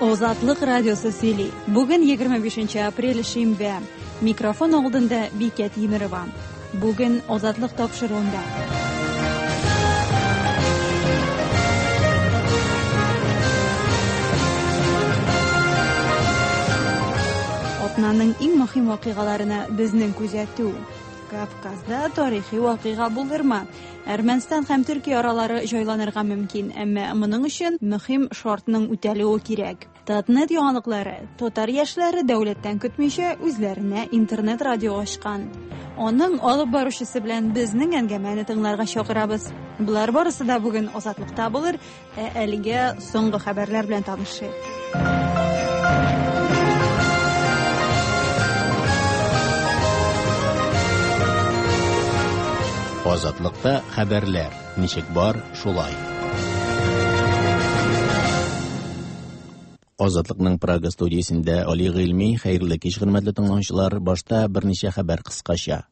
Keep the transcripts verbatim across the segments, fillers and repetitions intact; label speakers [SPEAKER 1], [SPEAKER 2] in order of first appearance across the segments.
[SPEAKER 1] Озатлык радиосы сөйли. Бүген егерме бишенче апрель шимбә. Микрофон алдында Бикә Тимерова. Бүген Озатлык тапшыруында. Атнаның иң мөһим вакыйгаларына безнең күзәтү. Кавказда тарихи вакыйга булырмы? Әрмәнстан һәм Төркия аралары җайланырга мөмкин, әмма моның өчен мөһим шартның үтәлүе кирәк. Татнет яңалыклары. Татар яшьләре дәүләттән көтмичә үзләренә интернет радио ачкан. Аның алып баручысы белән безнең әңгәмәне тыңларга чакырабыз. Болар барысы да бүген Азатлыкта булыр, ә әлегә соңгы хәбәрләр белән танышыйк.
[SPEAKER 2] Азатлыкта хәбәрләр ничек бар, шулай. Азатлыкның Прага студиясендә Али Гыйльми, хәерле кич, хөрмәтле тыңлаучылар. Башта берничә хәбәр кыскача.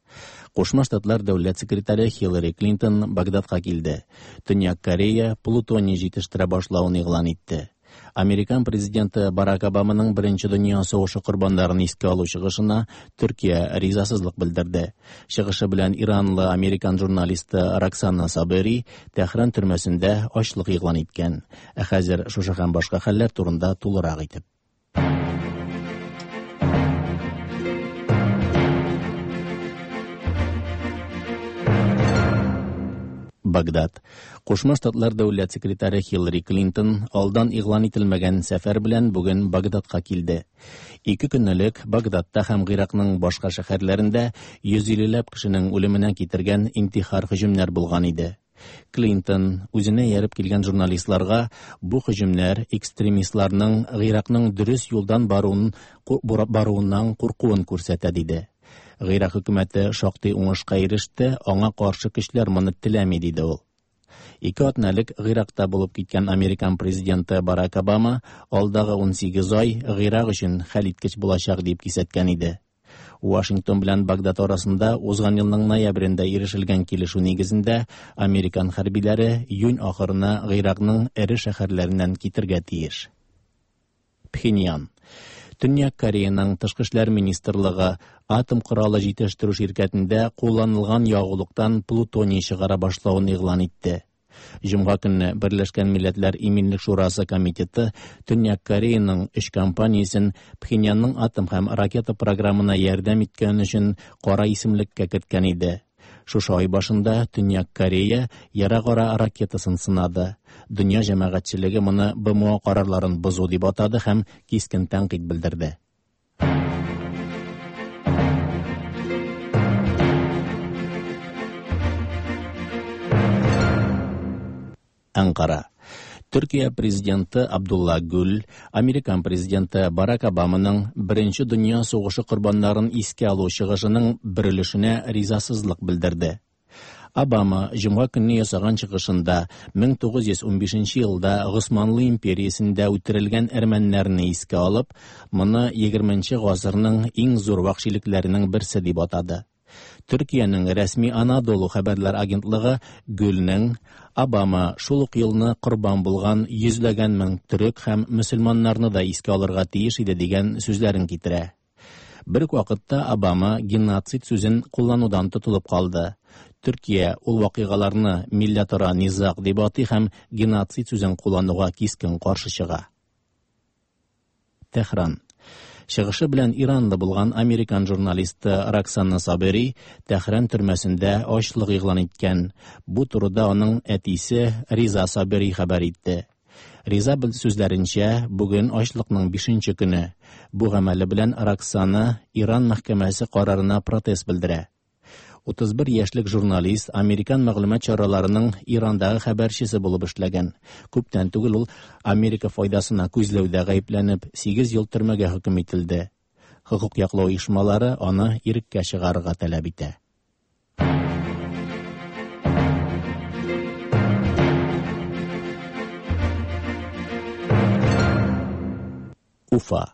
[SPEAKER 2] Кушма Штатлар дәүләт секретаре Хиллари Клинтон Багдадка килде. Төньяк Корея плутоний җитештерә башлавын игълан итте. Американ президенты Барак Обаманың беренче дөнья сугышы корбаннарын искә алу чыгышына Төркия ризасызлык белдерде. Чыгышы белән иранлы американ журналисты Роксана Сабери Тәһран төрмәсендә ачлык игълан иткән. Ә хәзер шушы һәм башка хәлләр турында тулырак итеп. Багдад. Кушма Штатлар дәүләт секретаре Хиллари Клинтон алдан игълан ителмәгән сәфәр белән бүген Багдадка килде. Ике көн элек Багдадта һәм Гыйракның башка шәһәрләрендә йөз иллеләп кешенең үлеменә китергән интихар һөҗүмнәр булган иде. Клинтон үзенә ияреп килгән журналистларга бу һөҗүмнәр экстремистларның Гыйракның дөрес юлдан баруын, баруыннан куркуын күрсәтә диде. Гыйрак хөкүмәте шактый уңышка иреште, аңа каршы көчләр моны теләми, диде ул. Ике атна элек Гыйракта булып киткән Американ президенты Барак Обама алдагы ун сигез ай Гыйрак өчен хәлиткеч булачак дип кисәткән иде. Вашингтон белән Багдад арасында узган елның ноябрендә ирешелгән килешү нигезендә американ хәрбиләре июнь ахырына Гыйракның эре шәһәрләреннән китергә тиеш. Пхеньян. Төньяк Кореяның тышкы эшләр министрлыгы атом коралы җитештерү ширкәтендә кулланылган ягулыктан плутоний чыгара башлавын игълан итте. Җомга көнне Берләшкән Милләтләр Иминлек Шурасы комитеты Төньяк Кореяның өч компаниясен Пхеньянның атом һәм ракета программына ярдәм иткән өчен кара исемлеккә керткән иде. Шушы ай башында Төньяк Корея ерак ара ракетасын сынады. Дөнья җәмәгатьчелеге моны Б М О карарларын бозу дип атады һәм кискен тәнкыйть белдерде. Анкара. Төркия президенты Абдулла Гүл, Американ президенты Барак Обаманың беренче дөнья сугышы корбаннарын искә алу чыгышының бер өлешенә ризасызлык белдерде. Обама җомга көнне ясаган чыгышында мең тугыз йөз унбишенче елда Госманлы империясендә үтерелгән әрмәннәрне искә алып, моны егерменче гасырның иң зур вәхшилекләренең берсе дип атады. Төркиянең рәсми Анадолу хәбәрләр агентлыгы Гүлнең Обама шул ук елны корбан булган йөзләгән мең төрек һәм мөселманнарны да искә алырга тиеш иде дигән сүзләрен китерә. Бер үк вакытта Обама геноцид сүзен кулланудан тотылып калды. Төркия ул вакыйгаларны милләтара низаг дип атый һәм геноцид сүзен куллануга кискен каршы чыга. Тәһран. Чыгышы белән Иранлы булган американ журналисты Роксана Сабери Тәһран төрмәсендә ачлык игълан иткән. Бу турыда аның әтисе Риза Сабери хәбәр итте. Риза сүзләренчә, бүген ачлыкның бишенче көне. Бу гамәле белән Роксана Иран мәхкәмәсе карарына протест белдерә. Утыз бер яшьлек журналист американ мәгълүмат чараларының Ирандагы хәбәрчесе булып эшләгән. Күптән түгел ул Америка файдасына күзләүдә гаепләнеп, сигез ел төрмәгә хөкем ителде. Хокук яклау оешмалары аны иреккә чыгарырга таләп итә. Уфа.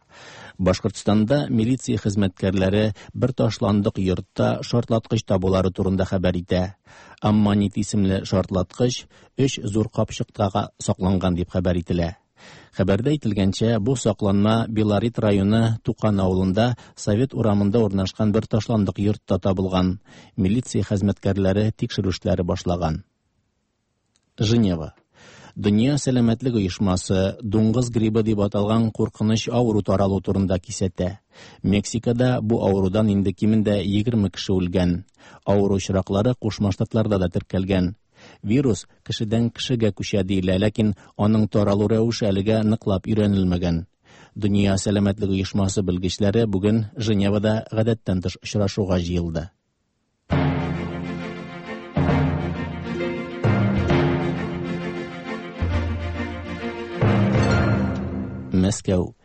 [SPEAKER 2] Башкортстанда милиция хезмәткәрләре бер ташландык йортта шартлаткыч табулары турында хәбәр итә. Аммонит исемле шартлаткыч өч зур капчыктага сакланган дип хәбәр ителә. Хәбәрдә әйтелгәнчә, бу сакланма Белорет районы Тукан авылында Совет урамында урнашкан бер ташландык йортта табылган. Милиция хезмәткәрләре тикшерү эшләре башлаган. Женева. Дөнья сәламәтлек оешмасы дуңгыз гриппы дип аталган куркыныч авыру таралу турында кисәтә. Мексикада бу авырудан инде кимендә егерме кеше үлгән. Авыру очраклары Кушма Штатларда да теркәлгән. Вирус кешедән кешегә күчә диелә, ләкин аның таралу рәвеше әлегә ныклап өйрәнелмәгән. Дөнья сәламәтлек оешмасы белгечләре бүген Женевада гадәттән тыш очрашуга җыелды. Мәскәү.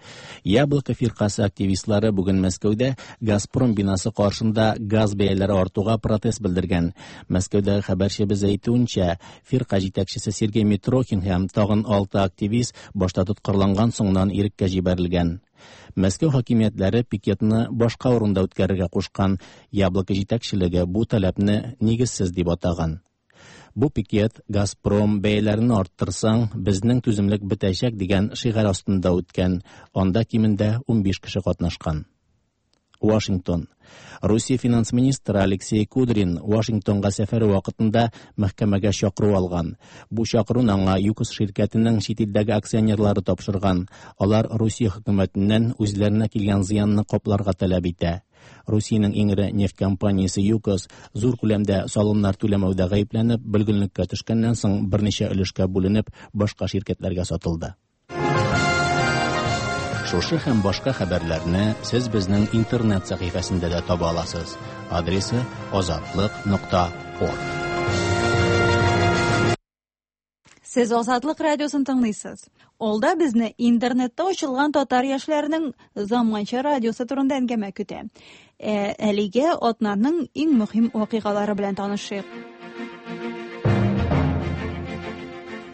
[SPEAKER 2] Яблоко фиркасы активистлары бүген Мәскәүдә Газпром бинасы каршында газ бәяләре артуга протест белдергән. Мәскәүдәге хәбәрчебез әйтүенчә, фирка җитәкчесе Сергей Митрохин һәм тагын алты активист башта тоткарланган, соңыннан иреккә җибәрелгән. Мәскәү хакимиятләре пикетны башка урында үткәрергә кушкан. Яблоко җитәкчелеге бу таләпне нигезсез дип атаган. Бу пикет «Газпром бәяләрен арттырсаң, безнең түземлек бетәчәк» дигән шигарь астында үткән. Анда кимендә унбиш кеше катнашкан. Вашингтон. Русия финанс министры Алексей Кудрин Вашингтонга сәфәре вакытында мәхкәмәгә чакыру алган. Бу чакыруны аңа ЮКОС ширкәтенең чит илдәге акционерлары тапшырган. Алар Русия хөкүмәтеннән үзләренә килгән зыянны капларга таләп итә. Русиянең иң эре нефть компаниясе ЮКОС зур күләмдә салымнар түләмәүдә гаепләнеп, бөлгенлеккә төшкәннән соң берничә өлешкә бүленеп, башка ширкәтләргә сатылды. Шушы һәм башка хәбәрләрне сез безнең интернет сәхифәсендә дә таба аласыз. Адресы азатлык нокта орг.
[SPEAKER 1] Сез Азатлык радиосын тыңлыйсыз. Алда безне интернетта ачылган татар яшьләренең заманча радиосы турында әңгәмә көтә. Ә, әлегә атнаның иң мөһим вакыйгалары белән танышыйк.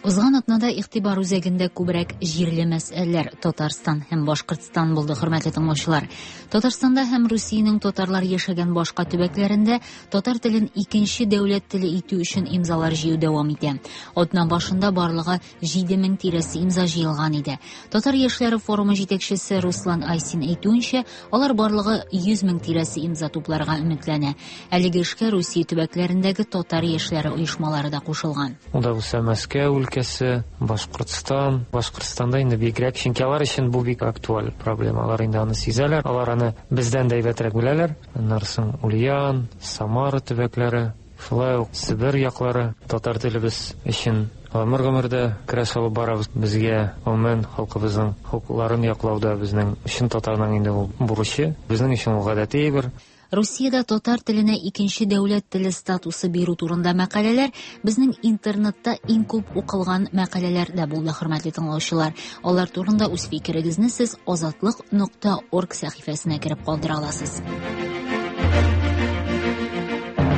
[SPEAKER 3] Узган атнада игътибар үзәгендә күбрәк җирле мәсьәләләр Татарстан һәм Башкортстан булды, хөрмәтле тыңлаучылар. Татарстанда һәм Русиянең татарлар яшәгән башка төбәкләрендә татар телен икенче дәүләт теле итү өчен имзалар җыю дәвам итә. Атна башында барлыгы җиде мең тирәсе имза җыелган иде. Татар яшьләре форумы җитәкчесе Руслан Айсин әйтүенчә, алар барлыгы йөз мең тирәсе имза тупларга өметләнә. Әлеге эшкә Русия төбәкләрендәге татар яшьләре оешмалары да кушылган.
[SPEAKER 4] Ул да булса Мәскәү өлкәсе, Башкортстан. Башкортстанда инде бигрәк, чөнки алар өчен бу бик актуаль проблема. Алар инде аны сизәләр, алар аны бездән дә әйбәтрәк беләләр. Аннан соң Ульян, Самара төбәкләре, шулай ук Себер яклары татар телебез өчен гомер-гомердә көрәш алып барабыз. Безгә гомумән халкыбызның хокукларын яклауда безнең өчен татарның инде ул бурычы, безнең өчен ул гадәти әйбер.
[SPEAKER 3] Русиядә татар теленә икенче дәүләт теле статусы бирү турында мәкаләләр безнең интернетта иң күп укылган мәкаләләр дә булды, хөрмәтле тыңлаучылар. Алар турында үз фикерегезне сез азатлык нокта орг сәхифәсенә кереп калдыра аласыз.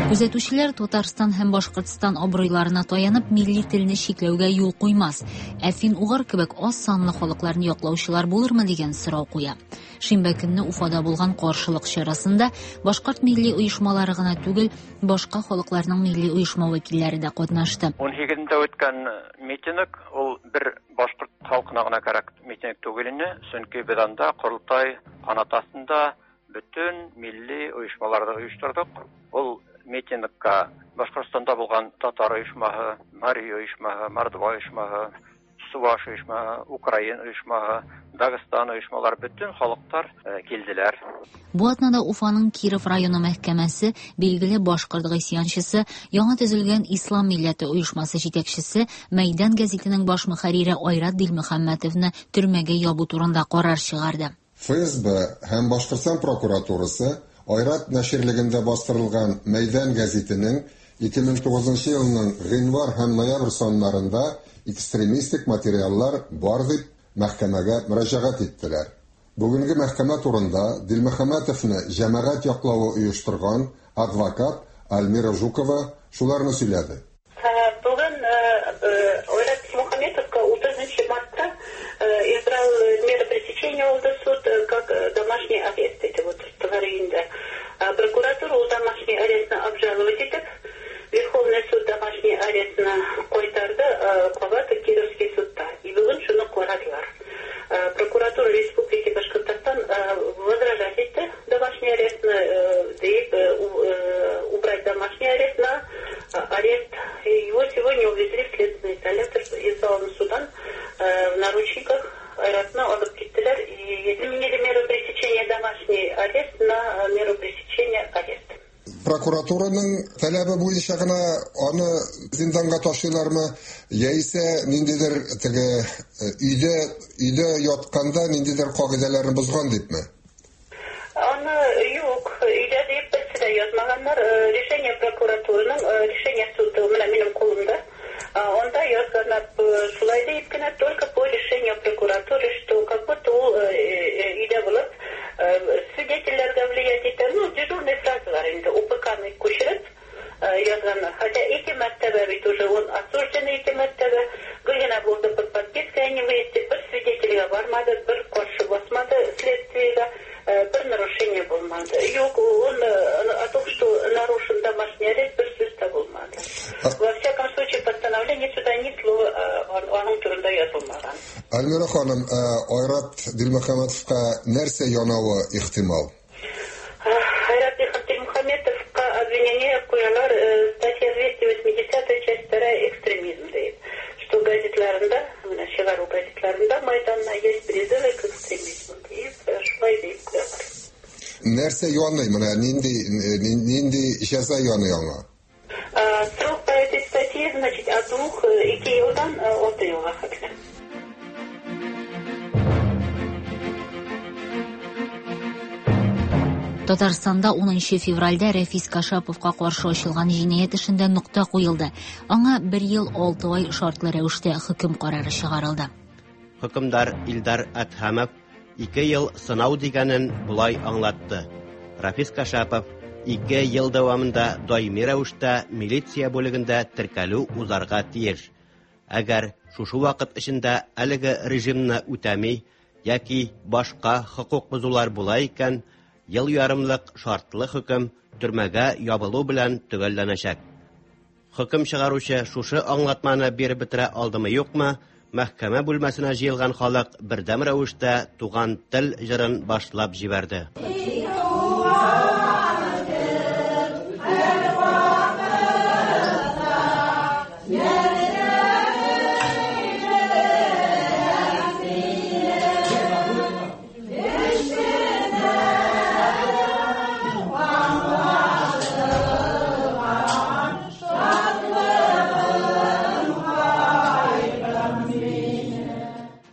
[SPEAKER 3] Күзәтүчеләр Татарстан һәм Башкортстан абруйларына таянып милли телне чикләүгә юл куймас. Ә фин-угыр кебек аз санлы халыкларны яклаучылар булырмы дигән сорау куя. Шимбә көнне Уфада булган каршылык чарасында башкорт милли оешмалары гына түгел, башка халыкларның милли оешма вәкилләре дә катнашты.
[SPEAKER 5] Ун һигезендә үткән митинг ул бер башкорт халкына гына кәрәк митинг түгел ине, чөнки без анда Корылтай канаты астында бөтен милли оешмаларны оештырдык. Ул митингка Башкортстанда булган татар оешмаһы, мари оешмаһы, мордва оешмаһы, Суваш оешмаһы, Украин оешмаһы, Дагыстан оешмалары, бөтен халыклар килделәр.
[SPEAKER 3] Бу атнада Уфаның Киров районы мәхкәмәсе билгеле башкорт гыйсьянчысы, яңа төзелгән Ислам милләте оешмасы җитәкчесе, Мәйдан гәзитенең баш мөхәррире Айрат Дилмөхәммәтовны төрмәгә ябу турында карар чыгарды.
[SPEAKER 6] Эф Эс Бэ һәм Башкортстан прокуратурасы Айрат нәширлегендә бастырылган Мәйдан гәзитенең ике мең тугызынчы елның гыйнвар һәм ноябрь саннарында экстремистик материаллар бар дип мәхкәмәгә мөрәҗәгать иттеләр. Бүгенге мәхкәмә турында Дилмөхәммәтовны җәмәгать яклавы оештырган адвокат Альмира Жукова шуларны сөйләде.
[SPEAKER 7] Бүген Айрат Дилмөхәммәтовка утызынчы мартта избрал меры пресечения улды суд как домашний арест итеп утырттылар инде. Прокуратура ул домашний арестны обжаловать итеп, Верховный суд домашний арестны кайтарды, кабат Кировский судта. И бүген шуны карадылар. его не увезли в следственный изолятор из зала судан в наручниках. Айратны алып киттеләр и изменили меру пресечения домашний арест на меру пресечения арест.
[SPEAKER 6] Прокуратураның таләбе буенча гына аны зинданга ташлыйлармы, яисә ниндидер теге өйдә өйдә ятканда ниндидер кагыйдәләрне бозган дипме?
[SPEAKER 7] Аны юк, өйдә дип берсе дә язмаганнар. Решение прокуратураның, решение суда менә минем кулымда. Анда язганнар шулай дип кенә, только по решению прокуратуры, что как будто ул өйдә булып свидетельләргә влиять итә. Ну, дежурный фразалар инде УПКны күчереп язганнар. Хотя ике мәртәбә бит уже он осужден, ике мәртәбә гел генә булды под подпиской о невыезде, бер свидетельгә бармады, бер каршы басмады следствиегә, бер нарушение булмады. Юк, он о том, что нарушен домашний арест, бер сүз дә булмады. Во всяком случае, постановление суда ни слова аның турында язылмаган.
[SPEAKER 6] Альмира ханым, Айрат Дилмөхәммәтовка нәрсә янавы ихтимал?
[SPEAKER 7] Айрат Дилмөхәммәтовка обвинение куялар статья двести восьмидесятая, часть вторая, экстремизм дип. Что газетларында, менә чыгару газетларында Майданна есть призывы к экстремизму дип, шулай дип куялар.
[SPEAKER 6] Нәрсә яный, менә нинди нинди җәза яный аңа?
[SPEAKER 7] Срок по этой статье, значит, от двух ике елдан алты елга хәтле.
[SPEAKER 3] Татарстанда унынчы февральдә Рәфис Кашаповка каршы ачылган җинаять эшендә нокта куелды. Аңа бер ел алты ай шартлы рәвештә хөкем карары чыгарылды.
[SPEAKER 8] Хөкемдар Илдар Әдһәмов ике ел сынау дигәнен болай аңлатты. Рәфис Кашапов ике ел дәвамында даими рәвештә милиция бүлегендә теркәлү узарга тиеш. Әгәр шушы вакыт эчендә әлеге режимны үтәми яки башка хокук бозулар була икән, ел ярымлык шартлы хөкем төрмәгә ябылу белән төгәлләнәчәк. Хөкем чыгаручы шушы аңлатманы биреп бетерә алдымы юкмы, мәхкәмә бүлмәсенә җыелган халык бердәм рәвештә туган тел җырын башлап җибәрде.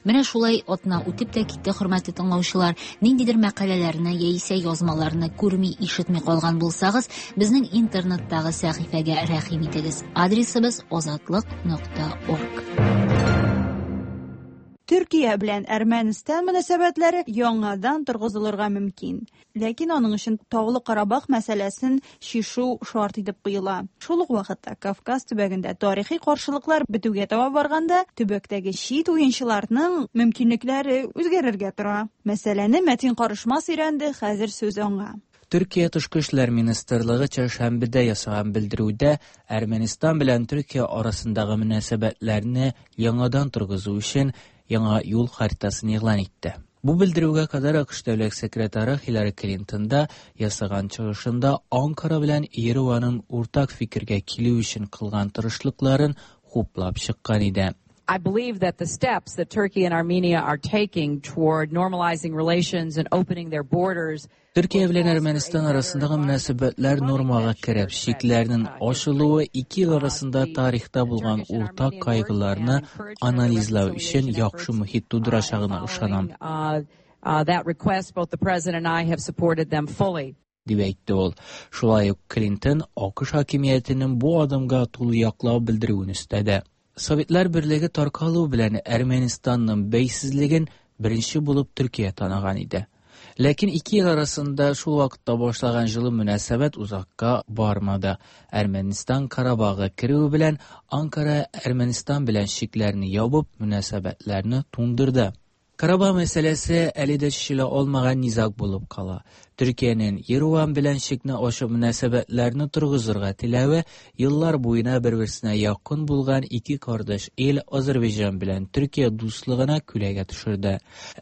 [SPEAKER 3] Менә шулай атна үтеп тә китте, хөрмәтле тыңлаучылар. Ниндидер мәкаләләрне яисә язмаларны күрми, ишетми калган булсагыз, безнең интернеттагы сәхифәгә рәхим итегез. Адресыбыз азатлык нокта орг.
[SPEAKER 1] Төркия белән Әрмәнстан мөнәсәбәтләре яңадан торгызылырга мөмкин. Ләкин аның өчен Таулы Карабах мәсьәләсен чишү шарт итеп куела. Шул ук вакытта Кавказ төбәгендә тарихи каршылыклар бетүгә таба барганда, төбәктәге чит уенчыларның мөмкинлекләре үзгәрергә тора. Мәсьәләне Мәтин Карышмас өйрәнде, хәзер сүз аңа.
[SPEAKER 9] Төркия Тышкы эшләр министрлыгы чәршәмбедә ясаган белдерүдә Әрмәнстан белән Төркия арасындагы мөнәсәбәтләрне яңадан торгызу өчен яңа юл харитасын игълан итте. Бу белдерүгә кадәр АКШ дәүләт секретаре Хиллари Клинтон да ясаган чыгышында Анкара белән Ереванның уртак фикергә килү өчен кылган тырышлыкларын хуплап чыккан иде.
[SPEAKER 10] I believe that the steps that Turkey and Armenia are taking toward normalizing relations and opening their borders
[SPEAKER 9] Төркия белән Әрмәнстан арасындагы мөнәсәбәтләр нормага кереп, чикләрнең ачылуы ике ил арасында тарихта булган уртак кайгыларны анализлау өчен яхшы мохит тудырачагына ышанам.
[SPEAKER 10] That request, both the president and I have supported them fully.
[SPEAKER 9] Дип әйтте ул. Шулай ук Клинтон АКШ хакимиятенең бу адымга тулы яклау белдерүен өстәде. Советлар Берлеге таркалу белән Әрмәнстанның бәйсезлеген беренче булып Төркия таныган иде. Ләкин ике ил арасында шул вакытта башлаган җылы мөнәсәбәт узакка бармады. Әрмәнстан Карабагы керүе белән Анкара Әрмәнстан белән чикләрне ябып, мөнәсәбәтләрне туңдырды. Карабах мәсьәләсе әле дә чишелә алмаган низаг булып кала. Төркиянең Ереван белән чикне ачып мөнәсәбәтләрне торгызырга теләве еллар буена бер-берсенә якын булган ике кардәш ил Азәрбайҗан белән Төркия дуслыгына күләгә төшерде.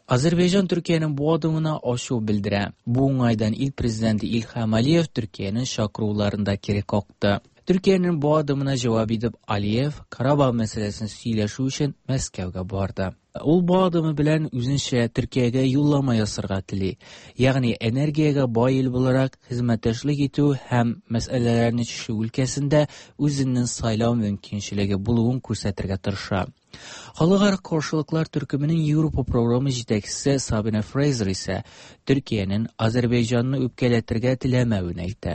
[SPEAKER 9] Азәрбайҗан Төркиянең бу адымына ачу белдерә. Бу уңайдан ил президенты Илһам Алиев Төркиянең чакыруларын да кире какты. Төркиянең бу адымына җавап итеп Алиев Карабах мәсьәләсен сөйләшү өчен Мәскәүгә барды. Ул бу адымы белән үзенчә Төркиягә юллама ясарга тели. Ягъни энергиягә бай ил буларак хезмәттәшлек итү һәм мәсьәләләрне чишү өлкәсендә үзенең сайлау мөмкинчелеге булуын күрсәтергә тырыша. Халыкара каршылыклар төркеменең Европа програмы җитәкчесе Сабина Фрейзер исә Төркиянең Азәрбайҗанны үпкәләтергә теләмәвен әйтә.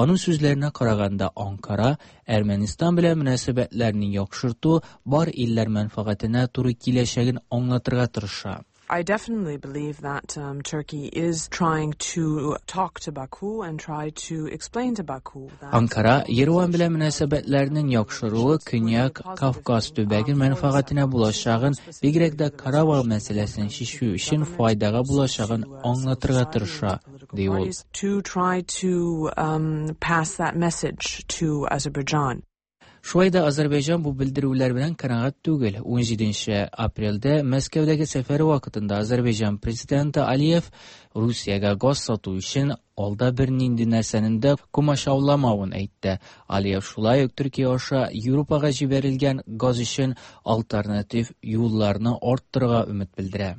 [SPEAKER 9] Аның сүзләренә караганда, Анкара Әрмәнстан белән мөнәсәбәтләрне яхшырту бар илләр мәнфәгатенә туры киләчәген аңлатырга тырыша.
[SPEAKER 11] I definitely believe that um, Turkey is trying to talk to Baku and try to explain to Baku that
[SPEAKER 9] Анкара Ереван белән мөнәсәбәтләрнең яхшыруы Көньяк Кавказ төбәге мәнфәгатенә булачагын, бигрәк тә Карабах мәсьәләсен чишү өчен файдага булачагын аңлатырга тырыша, ди ул.
[SPEAKER 11] to try to um, pass that message to Azerbaijan.
[SPEAKER 9] Шулай да Азәрбайҗан бу белдерүләр белән канәгать түгел. ун җиденче апрельдә Мәскәүдәге сәфәре вакытында Азәрбайҗан президенты Алиев Русиягә газ сату өчен алда бернинди нәрсәнең дә комачауламавын әйтте. Алиев шулай ук Төркия аша Европага җибәрелгән газ өчен альтернатив юлларны арттырырга өмет белдерә.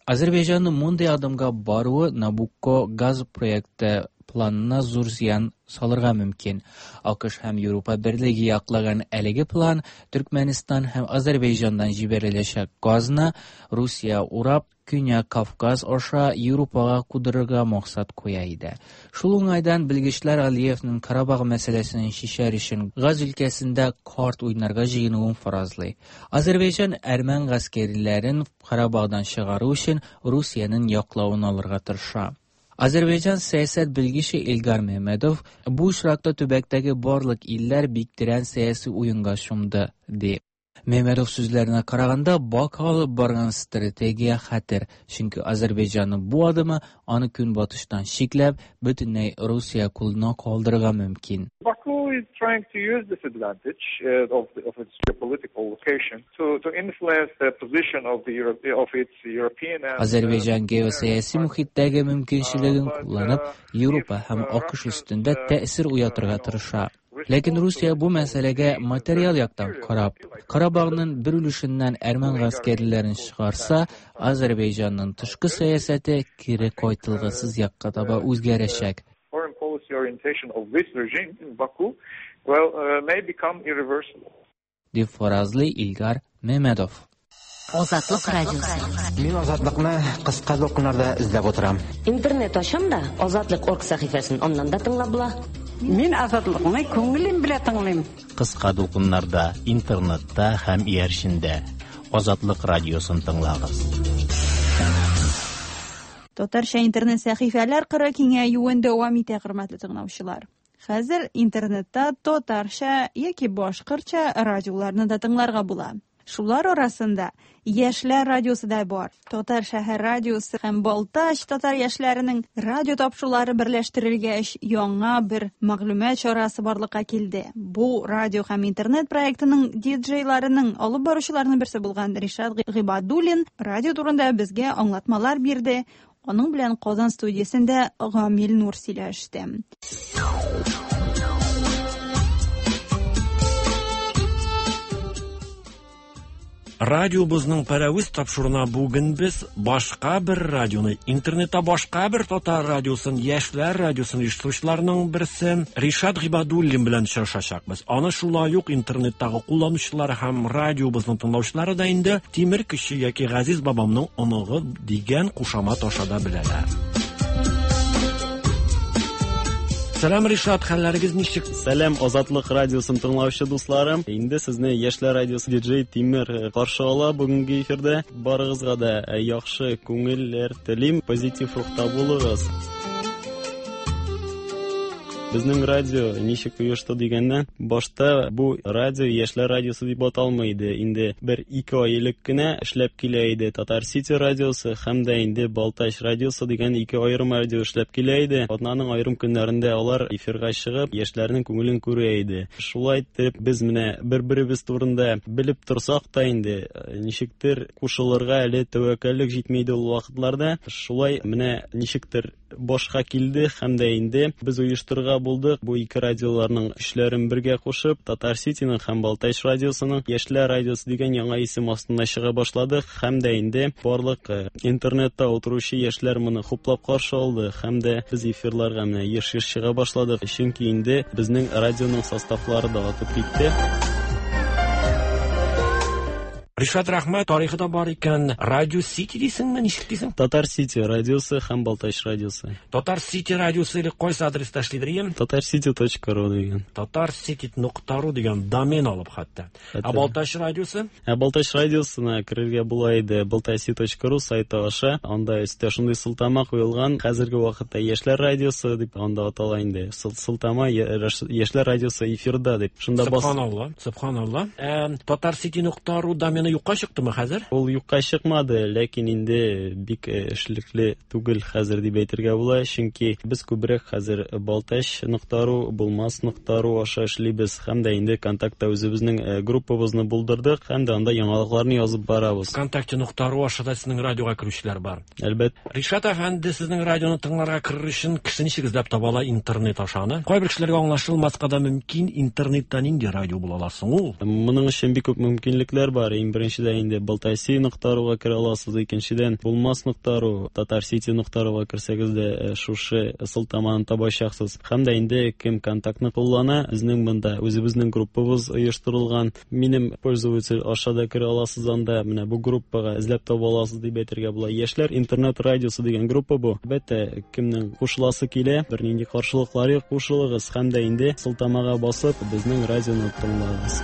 [SPEAKER 9] Азәрбайҗанның мондый адымга баруы Набукко газ проекты планына зур зыян салырга мөмкин. АКШ һәм Европа берлеге яклаган әлеге план Төркмәнстан һәм Азәрбайҗаннан җибәреләчәк газны Русия урап Көньяк Кавказ аша Европага кудырырга максат куя иде. Шул уңайдан белгечләр Алиевның Карабах мәсьәләсен чишәр өчен газ өлкәсендә карт уйнарга җыенуын фаразлый. Азәрбайҗан әрмән гаскәрләрен Карабахдан чыгару өчен Русиянең яклавын алырга тырыша. Азәрбайҗан сәясәт белгече Илгар Мehmedov бу очракта төбәктәге барлык илләр бик тирән сәяси уенга чумды, ди. Мehmedov сүзләренә караганда, Баку алып барган стратегия хәтер, чөнки Азәрбайҗанның бу адымы аны көнбатыштан чикләп, бөтенләй Русия кулына калдырырга мөмкин.
[SPEAKER 12] Baku is trying to use this advantage uh, of, the, of its geopolitical location to, to influence the position of the Europe, of its European and
[SPEAKER 9] Азәрбайҗан геосәяси мөхиттәге мөмкинчелеген кулланып, Европа һәм АКШ өстендә тәэсир уятырга тырыша. Ләкин Русия бу мәсьәләгә материал яктан карап, Карабахның бер өлешеннән әрмән гаскәрләрен чыгарса, Азәрбайҗанның тышкы сәясәте кире кайтылгысыз якка таба үзгәрәчәк.
[SPEAKER 12] Foreign policy orientation of this regime in Baku, well, uh, may become irreversible.
[SPEAKER 9] Дип фаразлый Илгар Мehmedov.
[SPEAKER 3] Азатлык радиосы.
[SPEAKER 13] Мин Азатлыкны кыска дулкыннарда эзләп утырам.
[SPEAKER 14] Интернет ачам да, Азатлык орг сәхифәсен аннан да тыңлап була.
[SPEAKER 15] Мин Азатлыкны күңелем белән тыңлыйм.
[SPEAKER 2] Кыска дулкыннарда, интернетта һәм иярчендә Азатлык радиосын тыңлагыз.
[SPEAKER 1] Татарча интернет сәхифәләр кыры киңәюен дәвам итә, хөрмәтле тыңлаучылар. Хәзер интернетта татарча яки башкортча радиоларны да тыңларга була. Шулар арасында Яшьләр радиосы да бар. Татар шәһәр радиосы һәм Балтач татар яшьләренең радио тапшырулары берләштерелгәч, яңа бер мәгълүмат чарасы барлыкка килде. Бу радио һәм интернет проектының диджейларының алып баручыларының берсе булган Ришат Гыйбадуллин радио турында безгә аңлатмалар бирде. Аның белән Казан студиясендә Гамил Нур сөйләште.
[SPEAKER 16] Радиобызның пәрәвез тапшыруына бүген без башка бер радионы, интернетта башка бер татар радиосын, яшьләр радиосын оештыручыларның берсе Ришат Гыйбадуллин белән очрашачакбыз. Аны шулай ук интернеттагы кулланучылар һәм радиобызның тыңлаучылары да инде Тимер кеше яки Газиз бабамның оныгы дигән кушамат аша да беләләр. Сәлам, Ришат, хәлләрегез ничек?
[SPEAKER 17] Сәлам, Азатлык радиосын тыңлаучы дусларым. Инде сезне Яшьләр радиосы диджей Тимер каршы ала бүгенге эфирдә. Барыгызга да яхшы күңелләр телим, позитив рухта булыгыз. Безнең радио ничек оешты дигәннән, башта бу радио Яшьләр радиосы дип аталмый иде. Инде бер ике ай элек кенә эшләп килә иде Татар Сити радиосы һәм дә инде Балтач радиосы дигән ике аерым радио эшләп килә иде. Атнаның аерым көннәрендә алар эфирга чыгып, яшьләрнең күңелен күрә иде. Шулай итеп без менә бер-беребез турында белеп торсак та инде ничектер кушылырга әле тәвәккәллек җитми иде ул вакытларда. Шулай менә ничектер башка килде һәм дә инде без оештырырга булдык. Бу ике радиоларның көчләрен бергә кушып, Татар Ситиның һәм Балтач радиосының Яшьләр радиосы дигән яңа исем астында чыга башладык. Һәм дә инде барлык интернетта утыручы яшьләр моны хуплап каршы алды. Һәм дә без эфирларга менә еш-еш чыга башладык. Чөнки инде безнең радионың составлары да артып китте.
[SPEAKER 16] Ришат, рәхмәт, тарихы да бар икән. Радио Сити дисеңме, ничек дисең?
[SPEAKER 17] Татар Сити радиосы һәм Балтач радиосы.
[SPEAKER 16] Татар Сити радиосы или кайсы адреста эшлидер ем?
[SPEAKER 17] Татар Сити точка ру дигән.
[SPEAKER 16] Татар Сити нокта ру дигән домен алып хәтта. Ә Балтач радиосы?
[SPEAKER 17] Ә Балтач радиосына керергә була иде балтаси точка ру сайты аша. Анда өстә шундый сылтама куелган. Хәзерге вакытта Яшьләр радиосы дип анда атала инде. Сылтама Яшьләр радиосы эфирда дип. Шунда бас.
[SPEAKER 16] Субханалла, субханалла. Ә Татар Сити нокта ру домены юкка чыктымы хәзер?
[SPEAKER 17] Ул юкка чыкмады, ләкин инде бик эшлекле түгел хәзер дип әйтергә була, чөнки без күбрәк хәзер Балтач нокта ру, Булмас нокта ру аша эшлибез һәм дә инде Контактта үзебезнең группабызны булдырдык һәм дә анда яңалыкларны язып барабыз.
[SPEAKER 16] Контакте нокта ру аша да сезнең радиога керүчеләр бар.
[SPEAKER 17] Әлбәттә.
[SPEAKER 16] Ришат әфәнде, сезнең радионы тыңларга керер өчен кеше ничек эзләп таба ала интернет аша аны? Кайбер кешеләргә аңлашылмаска да мөмкин, интернетта нинди радио була ала соң ул?
[SPEAKER 17] Моның өчен бик күп мөмкинлекләр бар. Иң беренчедән инде Балтаси нокта руга керә аласыз, икенчедән Булмас нокта ру, Татар Сити нокта руга керсәгез дә шушы сылтаманы табачаксыз. Һәм дә инде кем контактны куллана, безнең монда үзебезнең группабыз оештырылган. Минем пользователь аша да керә аласыз анда, менә бу группага эзләп таба аласыз дип әйтергә була. Яшьләр интернет радиосы дигән группа бу. Әлбәттә, кемнең кушыласы килә, бернинди каршылыклар юк, кушылыгыз һәм дә инде сылтамага басып безнең радионы тыңлагыз.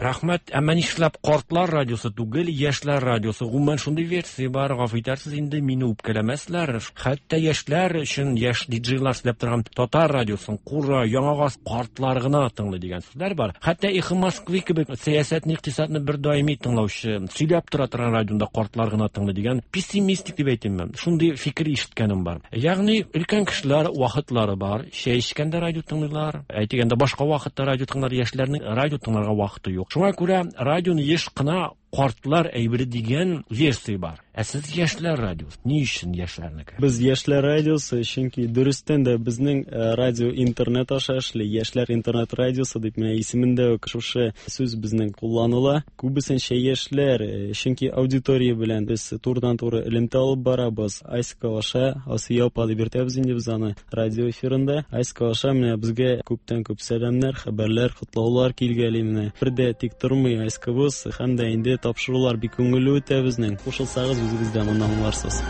[SPEAKER 16] Рәхмәт, әмма нишләп картлар радиосы түгел, яшьләр радиосы? Гомумән шундый версия бар, гафу итәрсез инде, мине үпкәләмәсләр. Хәтта яшьләр өчен яшь диджейлар сөйләп торган татар радиосын Кура, Яңа гасыр картлар гына тыңлый дигән сүзләр бар. Хәтта Эхо Москвы кебек сәясәтне, икътисадны бер даими тыңлаучы, сөйләп тора торган радионда картлар гына тыңлый дигән пессимистик дип әйтимме? Шундый фикер ишеткәнем бар. Ягъни өлкән кешеләр вакытлары бар, чәй эчкәндә радио тыңлыйлар, әйтегәндә башка вакытта радио тыңлар, яшьләрнең радио тыңларга вакыты юк. Шуңа күрә радионы еш кына картлар әйбере дигән версия бар. Ә сез яшьләр радиосы. Ни өчен яшьләрнеке?
[SPEAKER 17] Без яшьләр радиосы, чөнки дөрестән дә безнең радио интернет аша эшли. Яшьләр интернет радиосы дип менә исемендә үк шушы сүз безнең кулланыла. Күбесенчә яшьләр, чөнки аудитория белән без турыдан-туры элемтә алып барабыз. Айска аша, Асия апа дип йөртәбез инде без аны радио эфирында. Айска аша менә безгә күптән-күп сәламнәр, хәбәрләр, котлаулар килгәли менә. Бер дә тик тормый Айскабыз һәм дә инде тапшырулар бик күңелле үтә безнең. Кушылсагыз үзегез дә моны аңларсыз.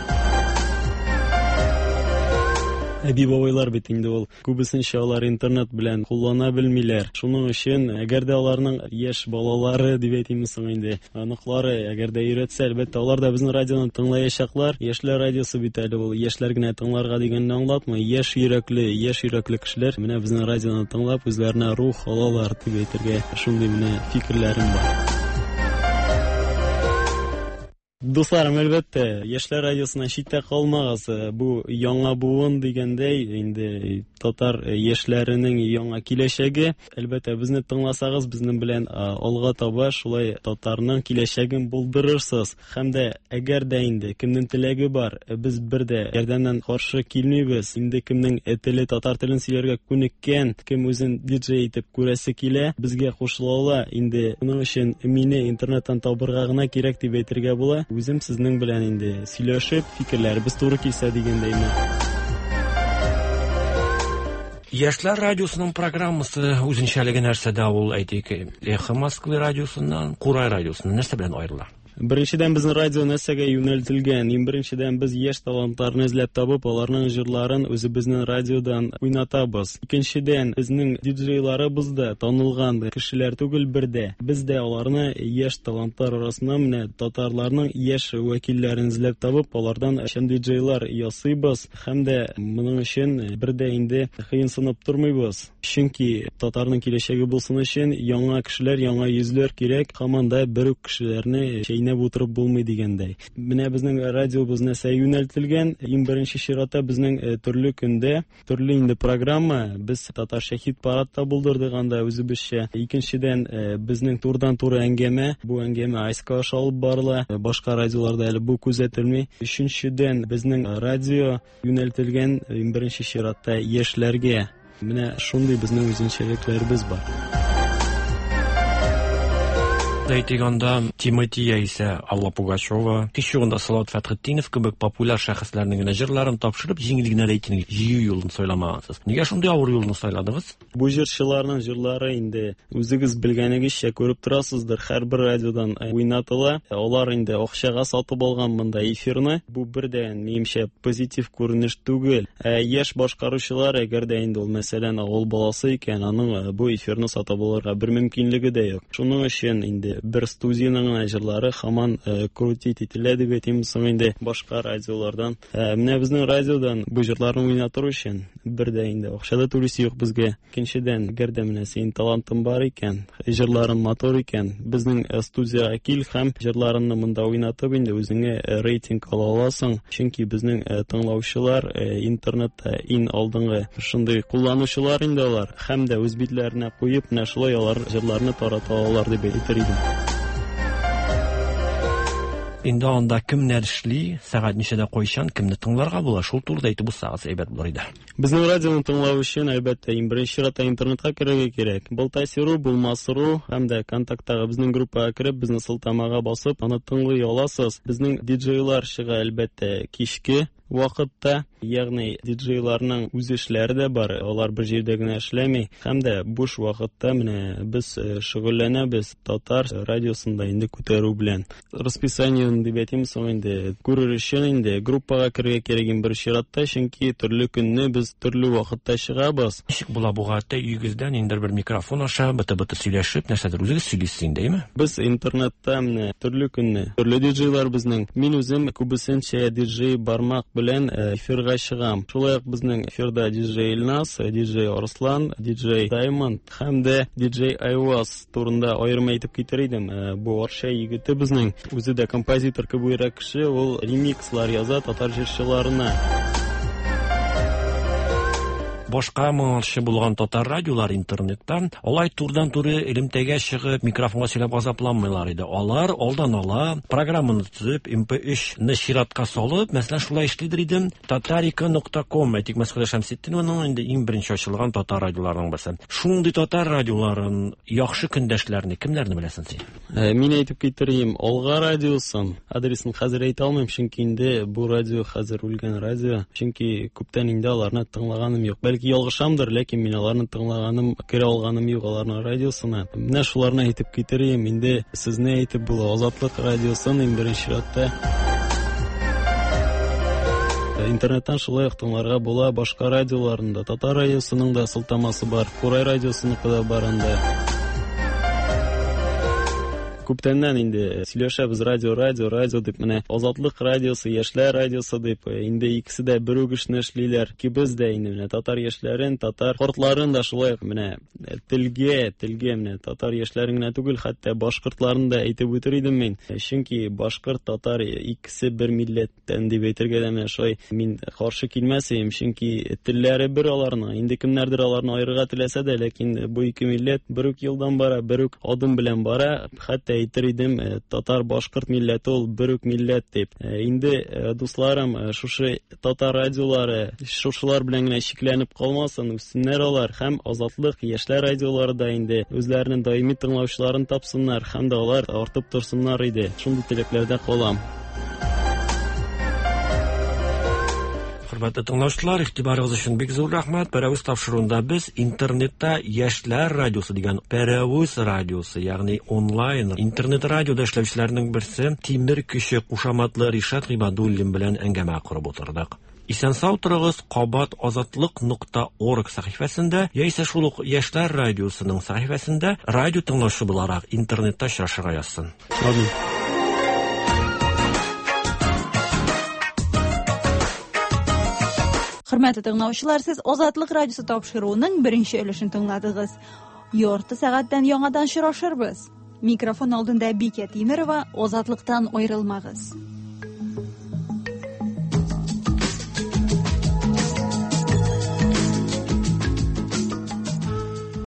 [SPEAKER 17] Әби бабайлар бит инде ул. Күбесенчә алар интернет белән куллана белмиләр. Шуның өчен, әгәр дә аларның яшь балалары дип әйтимме соң инде, оныклары әгәр дә өйрәтсә, әлбәттә, алар да безнең радионы тыңлаячаклар. Яшьләр радиосы бит әле ул яшьләр генә тыңларга дигәнне аңлатмый. Яшь йөрәкле, яшь йөрәкле кешеләр менә безнең радионы тыңлап үзләренә рух алалар дип әйтергә шундый менә фикерләрем бар. Дусларым, әлбәттә, Яшьләр радиосына читтә калмагыз. Бу яңа буын дигәндәй, инде татар яшьләренең яңа киләчәге. Әлбәттә, безне тыңласагыз, безнең белән алга таба шулай татарның киләчәген булдырырсыз. Һәм дә әгәр дә инде кемнең теләге бар, без бер дә ярдәмнән каршы килмибез. Инде кемнең теле татар телен сөйләргә күнеккән, кем үзен диджей итеп күрәсе килә, безгә кушыла ала. Инде моның өчен мине интернеттан табырга гына кирәк дип әйтергә була. Үзем сезнең белән инде сөйләшеп, фикерләребез туры килсә дигәндәйме.
[SPEAKER 16] Яшьләр радиосының программасы үзенчәлеге нәрсәдә ул, әйтик, Эхо Москвы радиосыннан, Курай радиосыннан нәрсә белән аерыла?
[SPEAKER 17] Беренчедән, безнең радио нәрсәгә юнәлтелгән? Иң беренчедән, без яшь талантларны эзләп табып, аларның җырларын үзебезнең радиодан уйнатабыз. Икенчедән, безнең диджейларыбыз да танылган кешеләр түгел бердә. Без дә аларны яшь талантлар арасыннан менә татарларның яшь вәкилләрен эзләп табып, алардан чын диджейлар ясыйбыз. Һәм дә моның өчен бердә инде кыенсынып тормыйбыз. Чөнки татарның киләчәге булсын өчен яңа кешеләр, яңа йөзләр кирәк. Һаман да бер үк кешеләрне әйнәп утырып булмый дигәндәй. Менә безнең радиобыз нәрсә юнәлтелгән? Иң беренче чиратта безнең төрле көндә төрле инде программа, без татарча хит-парад та булдырдык анда үзебезчә. Икенчедән, безнең турыдан-туры әңгәмә, бу әңгәмә Айска аша алып барыла, башка радиоларда әле бу күзәтелми. Өченчедән, безнең радио юнәлтелгән иң беренче чиратта яшьләргә. Менә шундый безнең үзенчәлекләребез бар.
[SPEAKER 16] Әйтик анда Тимати яисә Алла Пугачева, һич югында Салават Фәтхетдинов кебек популяр шәхесләрнең генә җырларын тапшырып, җиңел генә рейтинг җыю юлын сайламагансыз. Нигә шундый авыр юлны сайладыгыз?
[SPEAKER 17] Бу җырчыларның җырлары инде үзегез белгәнегезчә күреп торасыздыр, һәрбер радиодан уйнатыла. Алар инде акчага сатып алган монда эфирны. Бу бердән, минемчә, позитив күренеш түгел. Ә яшь башкаручылар, әгәр дә инде ул, мәсәлән, авыл баласы икән, аның бу эфирны сатып алырга бер мөмкинлеге дә юк. Шуның өчен инде бер студияның гына җырлары һаман крутить ителә дип әйтим соң инде башка радиолардан. Менә безнең радиодан бу җырларны уйнатыр өчен бер дә инде акча да түлисе юк безгә. Икенчедән, әгәр дә менә синең талантың бар икән, җырларың матур икән, безнең студияга кил һәм җырларыңны монда уйнатып инде үзеңә рейтинг ала аласың. Чөнки безнең тыңлаучылар интернетта иң алдынгы шундый кулланучылар инде алар, һәм дә үз битләренә куеп менә шулай алар җырларны тарата алалар дип әйтер идем.
[SPEAKER 16] Инде анда кемнәр эшли, сәгать ничәдә кайчан, кемне тыңларга була, шул турыда әйтеп узсагыз әйбәт булыр иде.
[SPEAKER 17] Безнең радионы тыңлау өчен, әлбәттә, иң беренче чиратта интернетка керергә кирәк. Болтайсиру, Булмасыру һәм дә контакттагы безнең группага кереп, безнең сылтамага басып, аны тыңлый аласыз. Безнең диджейлар чыга, әлбәттә, кичке вакытта, ягъни диджейларның үз эшләре дә бар, алар бер җирдә генә эшләми. Һәм дә буш вакытта менә без шөгыльләнәбез татар радиосында инде күтәрү белән. Расписаниены дип әйтим соң инде күрер өчен инде группага керергә кирәк иң беренче чиратта, чөнки төрле көнне без төрле вакытта чыгабыз.
[SPEAKER 16] Ничек була бу гадәттә өегездән инде бер микрофон аша быты-быты сөйләшеп, нәрсәдер үзегез сөйлисез инде, әйме?
[SPEAKER 17] Без интернетта менә төрле көнне төрле диджейлар безнең. Мин үзем күбесенчә диджей бармак белән эфирга чыгам. Шулай ук безнең эфирда диджей Илназ, диджей Арслан, диджей Даймонд һәм дә диджей Айваз турында аерым әйтеп китер идем. Бу Арча егете безнең, үзе дә композитор кебек кеше, ул ремикслар яза татар җырчыларына.
[SPEAKER 16] Башка моңарчы булган татар радиолар интернеттан алай турдан-туры элемтәгә чыгып микрофонга сөйләп азапланмыйлар иде. Алар алдан ала программаны төзеп, эм пэ өч-не чиратка салып, мәсәлән, шулай эшлидер идем. Татарика нокта ком, әйтик, Мәсхүдә Шәмсетдинованың инде иң беренче ачылган татар радиоларының берсе. Шундый татар радиоларын яхшы көндәшләрне кемнәрне беләсең син?
[SPEAKER 17] Мин әйтеп китерим, Алга радиосын, адресын хәзер әйтә алмыйм, чөнки инде бу радио хәзер үлгән радио, чөнки күптән инде аларны тыңлаганым юк. Бәлки ялгышамдыр, ләкин мин аларны тыңлаганым, керә алганым юк аларның радиосына. Менә шуларны әйтеп китерим, инде сезне әйтеп була. Азатлык радиосын иң беренче чиратта. Интернеттан шулай ук тыңларга була башка радиоларны да. Татар радиосының да сылтамасы бар, Курай радиосыныкы да бар анда. Күптәннән инде сөйләшәбез радио, радио, радио дип, менә Азатлык радиосы, Яшьләр радиосы дип, инде икесе дә бер үк эшне эшлиләр. Икебез дә инде менә татар яшьләрен, татар картларын да шулай ук менә телгә, телгә менә татар яшьләрен генә түгел, хәтта башкортларын да әйтеп үтер идем мин. Чөнки башкорт, татар икесе бер милләттән дип әйтергә дә менә шулай мин каршы килмәс идем, чөнки телләре бер аларның. Инде кемнәрдер аларны аерырга теләсә дә, ләкин бу ике милләт бер үк юлдан бара, бер үк адым белән бара. Хәтта әйтер идем, татар башкорт милләте ул бер үк милләт дип. Инде дусларым, шушы татар радиолары шушылар белән генә чикләнеп калмасын, үссеннәр алар һәм Азатлык, Яшьләр радиолары да инде үзләренең даими тыңлаучыларын тапсыннар һәм дә алар артып торсыннар иде. Шундый теләкләрдә калам.
[SPEAKER 16] Хөрмәтле тыңлаучылар, игътибарыгыз өчен бик зур рәхмәт. Пәрәвез тапшыруында без интернетта Яшьләр радиосы дигән Пәрәвез радиосы, ягъни онлайн интернет радиода эшләүчеләрнең берсе Тимер көче кушаматлы Ришат Гыйбадуллин белән әңгәмә корып утырдык. Исән-сау торыгыз, кабат азатлык нокта орг сәхифәсендә яисә шул ук Яшьләр радиосының сәхифәсендә радио тыңлаучы буларак интернетта очрашырга язсын.
[SPEAKER 17] Амин.
[SPEAKER 1] Хөрмәтле тыңлаучылар, сез Азатлык радиосы тапшыруының беренче өлешен тыңладыгыз. Ярты сәгатьтән яңадан очрашырбыз. Микрофон алдында Бикә Тимерова, Азатлыктан аерылмагыз.